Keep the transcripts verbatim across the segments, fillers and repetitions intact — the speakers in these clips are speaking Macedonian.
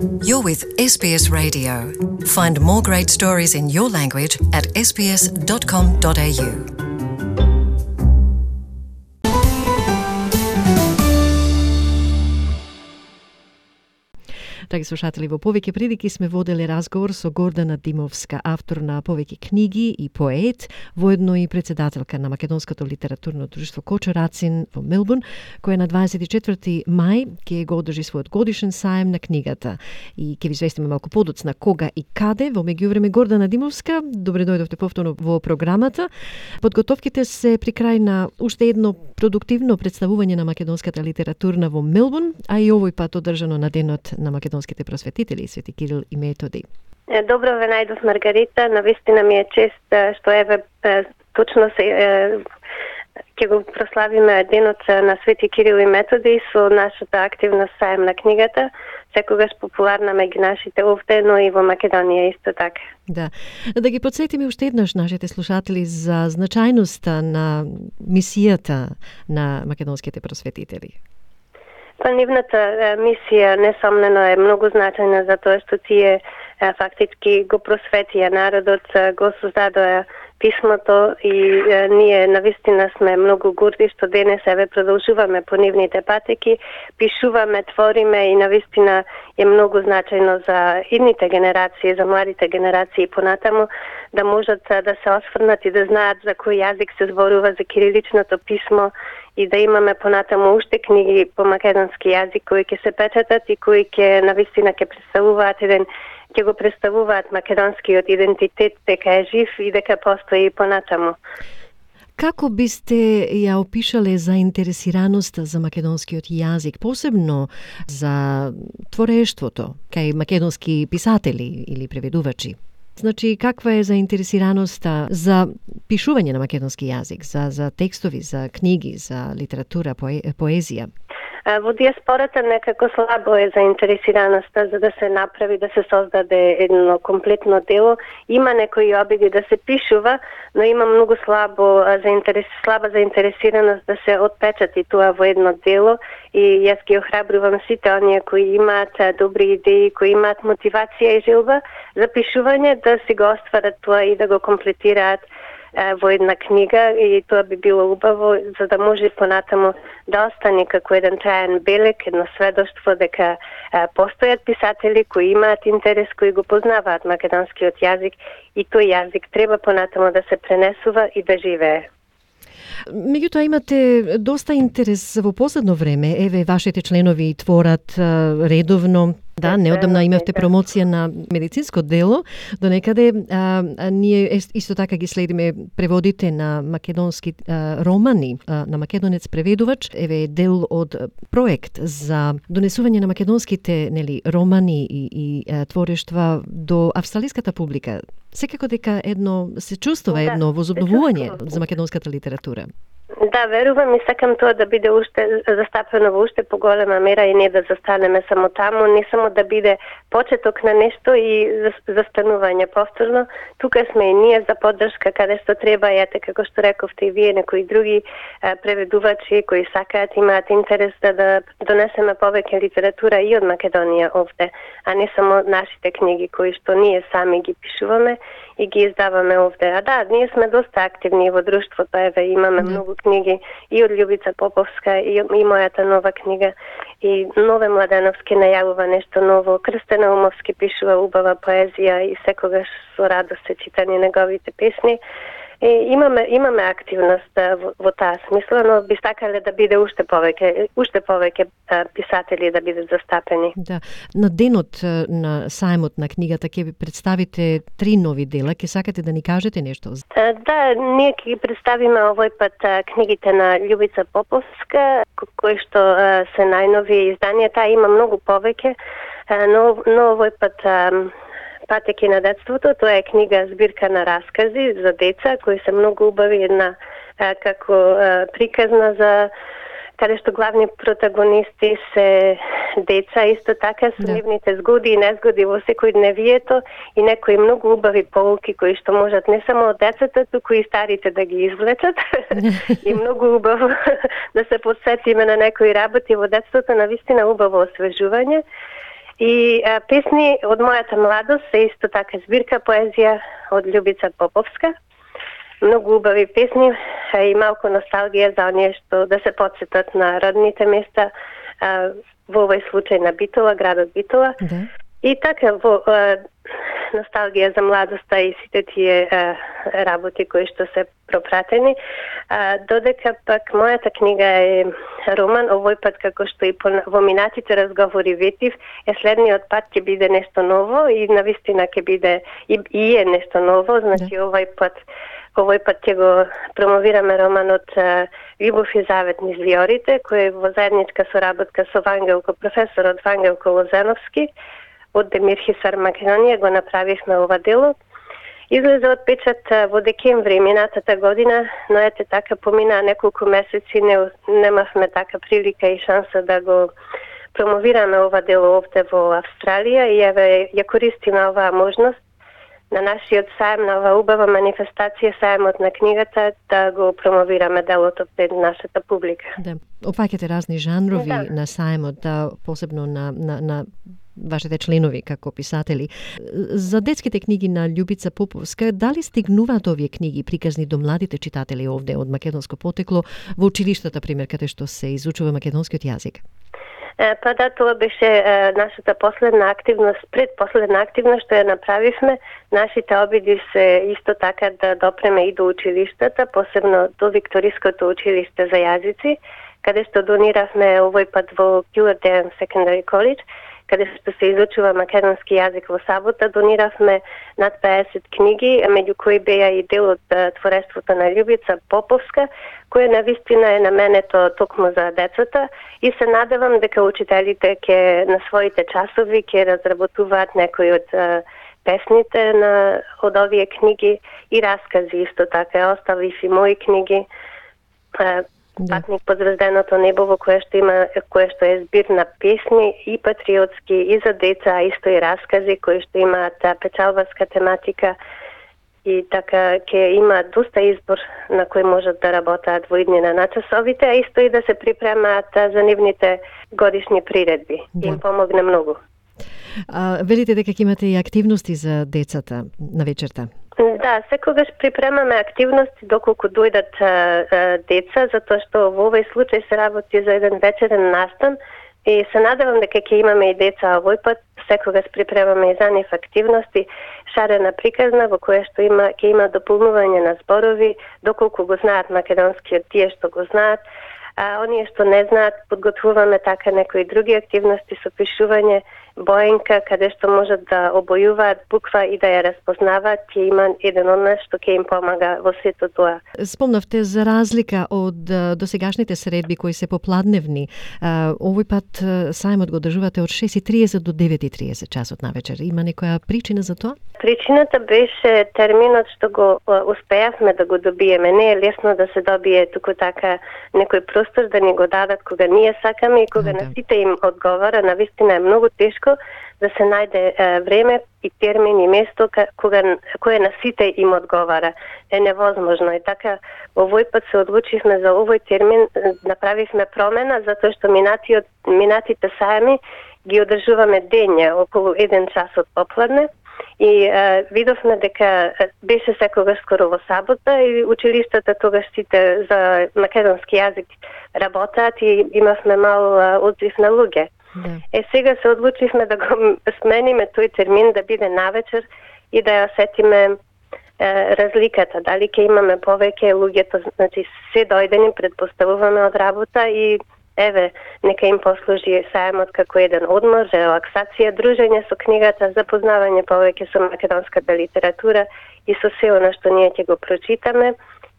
You're with S B S Radio. Find more great stories in your language at s b s dot com dot a u. Драги слушатели, во повеќе прилики сме водели разговор со Гордана Димовска, автор на повеќе книги и поет, воедно и председателка на Македонското литературно друштво Кочо Рацин во Мелбурн, која на дваесет и четврти мај ќе го одржи својот годишен саем на книгата. И ќе ви известиме малку подоцна кога и каде. Во меѓувреме, Гордана Димовска, добре дојдовте повторно во програмата. Подготовките се при крај на уште едно продуктивно представување на македонската литературна во Мелбурн, а и овој пат одржано на денот на македонските просветители, Свети Кирил и Методи. Добро ве најдов, Маргарита. Навистина ми е чест што еве точно се ќе го прославиме денот на Свети Кирил и Методи со нашата активна саем на книгата, секогаш популарна меѓу нашите овде, но и во Македонија исто така. Да. Да ги подсетиме уште еднаш нашите слушатели за значајноста на мисијата на македонските просветители. Па нивната мисија несомнено е многу значајна затоа што тие фактички го просветија народот, го создадоа писмото и е, ние навистина сме многу горди што денес еве продолжуваме по нивните патеки, пишуваме, твориме и навистина е многу значајно за идните генерации, за младите генерации понатаму да можат да се осврнат и да знаат за кој јазик се зборува, за кириличното писмо и да имаме понатаму уште книги по македонски јазик кои ќе се печатат и кои ќе навистина ќе представуваат еден ќе го представуваат македонскиот идентитет дека е жив и дека постои понатаму. Како бисте ја опишале заинтересираноста за македонскиот јазик, посебно за творештвото кај македонски писатели или преведувачи? Значи, каква е заинтересираноста за пишување на македонски јазик, за, за текстови, за книги, за литература, поe, поезија? Во диаспората некако слабо е заинтересираноста за да се направи, да се создаде едно комплетно дело. Има некои обиди да се пишува, но има многу слабо заинтерес, слаба заинтересираност да се отпечати тоа во едно дело и јас ги охрабрувам сите оние кои имаат добри идеи, кои имаат мотивација и желба за пишување да си го остварат тоа и да го комплетираат во една книга и тоа би било убаво за да може понатаму да остане како еден траен белег, едно сведоштво дека а, постојат писатели кои имаат интерес, кои го познаваат македонскиот јазик и тој јазик треба понатаму да се пренесува и да живее. Меѓутоа имате доста интерес во последно време. Еве, вашите членови творат а, редовно. Да, неодамна имавте промоција на медицинско дело, до некаде а, а, ние исто така ги следиме преводите на македонски а, романи, а, на македонец преведувач, еве дел од проект за донесување на македонските нели романи и, и а, творештва до австралиската публика. Секако дека едно се чувствува едно да, возобновување за македонската литература. Да, верувам и сакам тоа да биде уште застапено во уште поголема мера и не да застанеме само таму, не само да биде почеток на нешто и застанување повторно. Тука сме и ние за поддршка каде што треба, ете како што рековте и вие, некои други а, преведувачи кои сакаат, имаат интерес да, да донесеме повеќе литература и од Македонија овде, а не само нашите книги кои што ние сами ги пишуваме и ги издаваме овде. А да, ние сме доста активни во друштвото, еве имаме mm. многу книги и од Љубица Поповска и, и мојата нова книга и Нове Младеновски најавува нешто ново, Крстена Умовски пишува убава поезија и секогаш со радост се читани неговите песни. И имаме имаме активност во, во таа смисла, но би сакале да биде уште повеќе, уште повеќе писатели да бидат застапени. Да, на денот на саемот на книгата ќе ви представите три нови дела, ќе сакате да ни кажете нешто? Да, ние ќе ги представиме овој пат книгите на Љубица Поповска, кои што се најнови изданија. Таа има многу повеќе, но, но овој пат Патеки на детството, тоа е книга збирка на раскази за деца кои се многу убави, една а, како а, приказна за каде што главни протагонисти се деца, исто така со нивните згоди и незгоди во секојдневието и некои многу убави поуки кои што можат не само од децата, туку и старите да ги извлечат. И многу убаво да се подсетиме на некои работи во детството, навистина убаво освежување. И а, песни од мојата младост се исто така збирка поезија од Љубица Поповска. Многу убави песни и малку носталгија за оние што да се потсетат на родните места, а, во овој случај на Битола, градот Битола. Да. И така во а, носталгија за младоста и сите тие а, работи кои што се пропратени. А, додека пак мојата книга е роман, овој пат како што и во минатите разговори ветив, е следниот пат ќе биде нешто ново и навистина ќе биде и, и е нешто ново, значи да. овој пат овој пат ќе го промовираме романот Љубов и завет низ виорите, кој е во заедничка соработка со Вангелко, професорот Вангелко Лозановски од Демир Хисар, Македонија, го направивме ова дело. Излезе од печат во декември минатата година, но ете така помина неколку месеци, не, немавме така прилика и шанса да го промовираме ова дело овде во Австралија и еве ја користиме оваа можност на нашиот саем, на оваа убава манифестација, саемот на книгата, да го промовираме делото пред нашата публика. Да, опфаќате разни жанрови да. на саемот, да, посебно на, на, на вашите членови како писатели. За детските книги на Љубица Поповска, дали стигнуваат овие книги приказни до младите читатели овде од македонско потекло во училиштата, пример, каде што се изучува македонскиот јазик? Па да, тоа беше е, нашата последна активност, предпоследна активност што ја направивме. Нашите обиди се исто така да допреме и до училиштата, посебно до Викториското училиште за јазици, каде што дониравме овој пат во Килърдејан Secondary College, каде што се изучува македонски јазик во сабота, дониравме над педесет книги, меѓу кои беа и дел од творештвото на Љубица Поповска, кое навистина е наменето токму за децата и се надевам дека учителите ќе на своите часови ќе разработуваат некои од а, песните на од овие книги и раскази исто така. Оставив и мои книги. А, Да. Патник под звезденото небо, во кое што има, кое што е збир на песни и патриотски и за деца, а исто и раскази кои што имаат печалбарска тематика и така ќе има доста избор на кој можат да работаат во иднина на часовите, а исто и да се припремаат за нивните годишни приредби. Да. Им помогне многу. А, велите дека ќе имате и активности за децата на вечерта? Да, секогаш припремаме активности доколку дојдат а, а, деца, затоа што во овој случај се работи за еден вечерен настан и се надевам дека ќе имаме и деца овој пат. Секогаш припремаме и за нив активности, шарена приказна во која што има ќе има дополнување на зборови, доколку го знаат македонскиот тие што го знаат, а оние што не знаат подготвуваме така некои други активности со пишување, боенка, каде што можат да обојуваат буква и да ја разпознаваат, ќе има еден од нас што ќе им помага во сето тоа. Спомнавте за разлика од досегашните средби кои се попладневни. Овој пат саемот го одржувате од шест и триесет до девет и триесет часот навечер. Има некоја причина за тоа? Причината беше терминот што го успеавме да го добиеме. Не е лесно да се добие туку така некој простор да ни го дадат кога ние сакаме и кога на сите им одговара. Навистина е многу тешко да се најде е, време и термин и место кога кое на сите им одговара. Е невозможно. И така овој пат се одлучивме за овој термин, направивме промена затоа што минатиот минатите саеми ги одржуваме дења околу еден час од попладне. И е, видовме дека беше секогаш скоро во сабота и училиштата тогаш сите за македонски јазик работаат и имавме мал одзив на луѓе. Да. Е, сега се одлучивме да го смениме тој термин да биде навечер и да ја сетиме е, разликата. Дали ќе имаме повеќе луѓето, значи се дојдени, предпоставуваме од работа и еве, нека им послужи саемот како еден одмор, релаксација, дружење со книгата, запознавање повеќе со македонската литература и со се она што ние ќе го прочитаме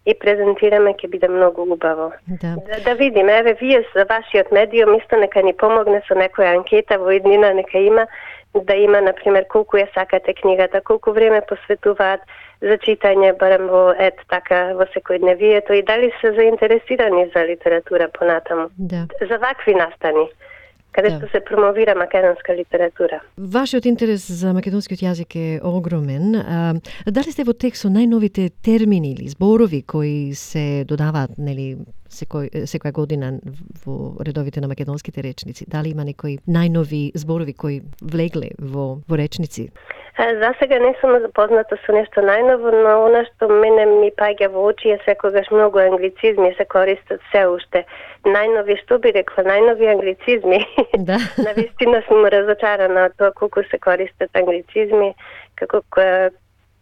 и презентираме, ќе биде многу убаво. Да. Да, да видиме, еве, вие за вашиот медиум исто нека ни помогне со некоја анкета во иднина, нека има, да има, например, колку ја сакате книгата, колку време посветуваат за читање, барем во ет така во секојдневието и дали се заинтересирани за литература понатаму. Да. За вакви настани. каде Да. што се промовира македонска литература. Вашиот интерес за македонскиот јазик е огромен. А, дали сте во тек со најновите термини или зборови кои се додаваат, нели, секој, секоја година во редовите на македонските речници? Дали има некои најнови зборови кои влегле во, во речници? За сега не сум запозната со нешто најново, но она што мене ми паѓа во очи е секогаш многу англицизми се користат се уште. Најнови, што би рекла, најнови англицизми. Да. Навистина сум разочарана од тоа колку се користат англицизми, како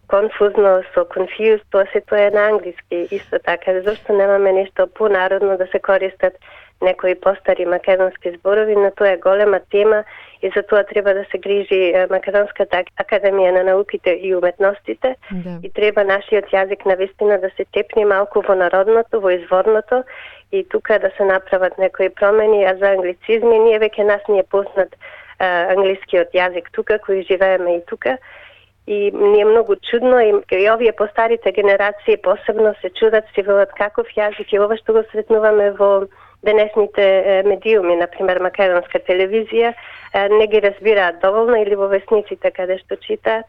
конфузно со confused, тоа се тоа е на англиски исто така. Зошто немаме нешто понародно да се користат некои постари македонски зборови, но тоа е голема тема и за тоа треба да се грижи Македонската академија на науките и уметностите. Да. И треба нашиот јазик навистина да се тепне малку во народното, во изворното и тука да се направат некои промени, а за англицизми ние веќе нас ни е познат а, англискиот јазик тука, кои живееме и тука. И ни е многу чудно и, и овие постарите генерации посебно се чудат, си велат каков јазик и ова што го сретнуваме во денесните медиуми, например македонска телевизија, не ги разбираат доволно или во весниците каде што читаат.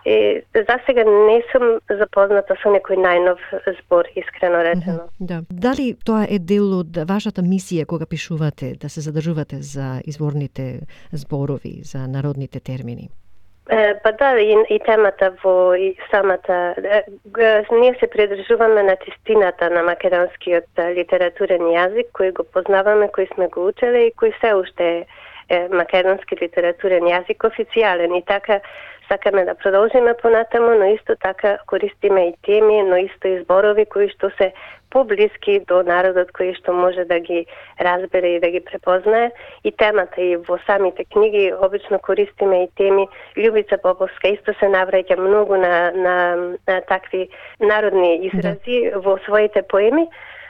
И за сега не сум запозната со некој најнов збор, искрено речено. Mm-hmm, да. Дали тоа е дел од вашата мисија кога пишувате, да се задржувате за изворните зборови, за народните термини? Па да, и, и темата во и самата... Ние се придржуваме на чистината на македонскиот литературен јазик, кој го познаваме, кој сме го учеле и кој се уште е македонски литературен јазик официјален. И така сакаме да продолжиме понатаму, но исто така користиме и теми, но исто и зборови кои што се поблиски до народот, кој што може да ги разбере и да ги препознае. И темата и во самите книги обично користиме и теми. Љубица Поповска исто се навраќа многу на, на, на такви народни изрази, да, во своите поеми.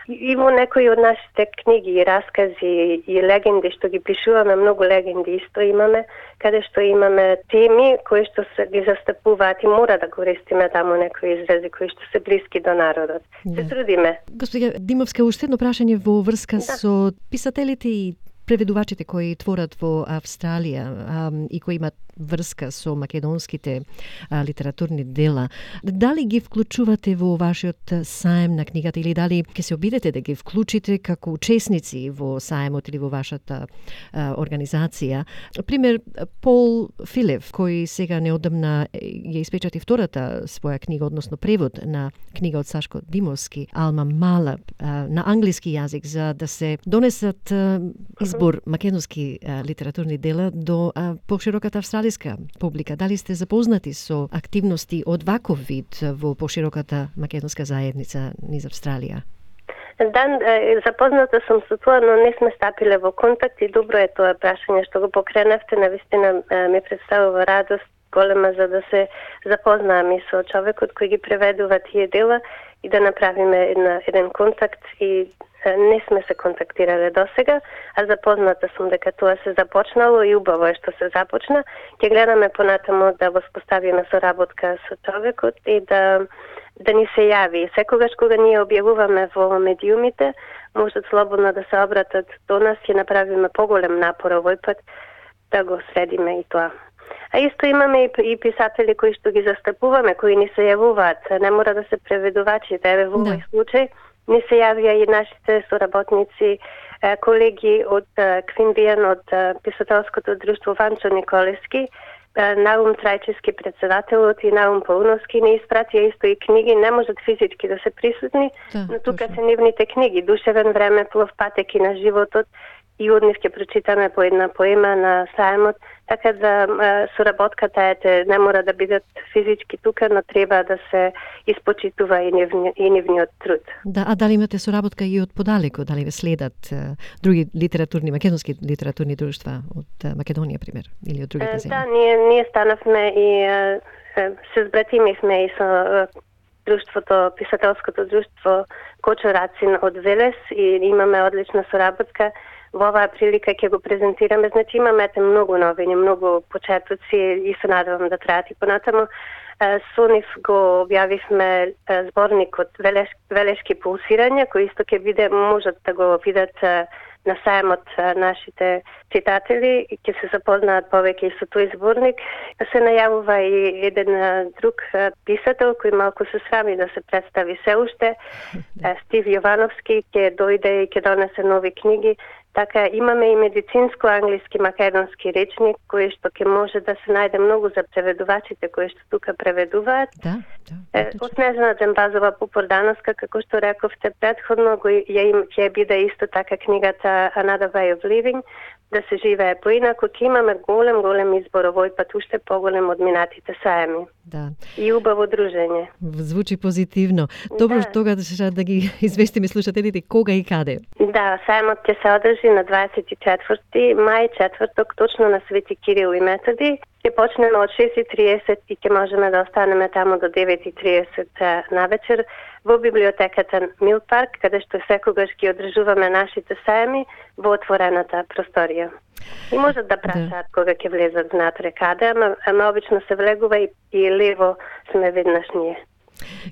И во некои од нашите книги и раскази и легенди што ги пишуваме, многу легенди исто имаме, каде што имаме теми кои што се ги застапуваат и мора да користиме таму некои изрази кои што се блиски до народот. Да. Се трудиме. Господја Димовска, уште едно прашање во врска да. со писателите и преведувачите кои творат во Австралија а, и кои имат врска со македонските а, литературни дела. Дали ги вклучувате во вашиот саем на книгата или дали ќе се обидете да ги вклучите како учесници во саемот или во вашата а, организација? Пример, Пол Филев, кој сега неодамна ја испечати втората своја книга, односно превод на книга од Сашко Димовски, Алма Мала, а, на англиски јазик, за да се донесат а, избор македонски а, литературни дела до а, пошироката австралиска публика. Дали сте запознати со активности од ваков вид во пошироката македонска заедница низ Австралија? Да, запозната сум со тоа, но не сме стапиле во контакт и добро е тоа прашање што го покренавте. Навистина ми представува радост голема за да се запознаам и со човекот кој ги преведува тие дела и да направиме една, еден контакт и не сме се контактирале досега, а запозната сум дека тоа се започнало и убаво е што се започна. Ќе гледаме понатаму да воспоставиме соработка со човекот и да да ни се јави. Секогаш кога ние објавуваме во медиумите, можат слободно да се обратат до нас и направиме поголем напор овој пат да го средиме и тоа. А исто имаме и, и писатели кои што ги застапуваме, кои ни се јавуваат. Не мора да се преведувачите. Еве во овој случај ни се јавија и нашите соработници, колеги од Квинбијан, од писателското друштво Ванчо Николевски, Наум Трајчевски председателот и Наум Пауновски не испратија исто и книги, не можат физички да се присутни, да, но тука точно се нивните книги, Душевен времеплов, Патеки на животот, и од нив ќе прочитаме по една поема на саемот, така да соработката ете не мора да бидат физички тука, но треба да се испочитува и, нивни, и нивниот труд. Да, а дали имате соработка и од подалеку, дали ве следат uh, други литературни, македонски литературни друштва од uh, Македонија, пример, или од другите земји? Да, ние, ние станавме и uh, се збратимивме и со uh, друштвото, писателското друштво Кочо Рацин од Велес и имаме одлична соработка. Во оваа прилика ќе го презентираме. Значи имаме многу новини, многу почетоци и се надевам да траат и понатаму. Со нив го објавивме зборникот Велеш, Велешки пулсирања, кој исто ќе биде, можат да го видат на сајмот нашите читатели ќе се запознаат повеќе и со тој зборник. Се најавува и еден друг писател кој малку се срами да се представи се уште. Стив Јовановски ќе дојде и ќе донесе нови книги. Така имаме и медицинско англиски македонски речник кој што ќе може да се најде многу за преведувачите кои што тука преведуваат. Да, да. Од Снежана Джембазова Попордановска, како што рековте предходно, ја им ќе биде исто така книгата Another Way of Living, да се живее поинаку. Ќе имаме голем, голем избор овој пат, уште поголем од минатите саеми. Да. И убаво дружење. Звучи позитивно. Добро, да. Тогаш да ги известиме слушателите кога и каде. Да, саемот ќе се одржи на дваесет и четврти мај, четврток, точно на Свети Кирил и Методи. Ќе почнеме од шест и триесет и ќе можеме да останеме таму до девет и триесет на вечер во библиотеката Мил Парк, каде што секогаш ги одржуваме нашите саеми во отворената просторија. И можат да прашаат да. Кога ќе влезат внатре каде, ама, ама обично се влегува и, и лево сме веднаш ние.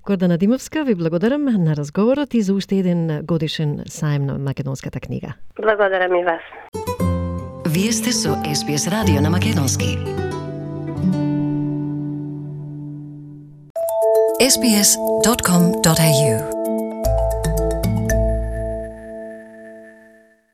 Гордана Димовска, ви благодарам на разговорот и за уште еден годишен саем на македонската книга. Благодарам и вас. Вие сте со Ес Би Ес радио на македонски. ес би ес точка ком точка ей ю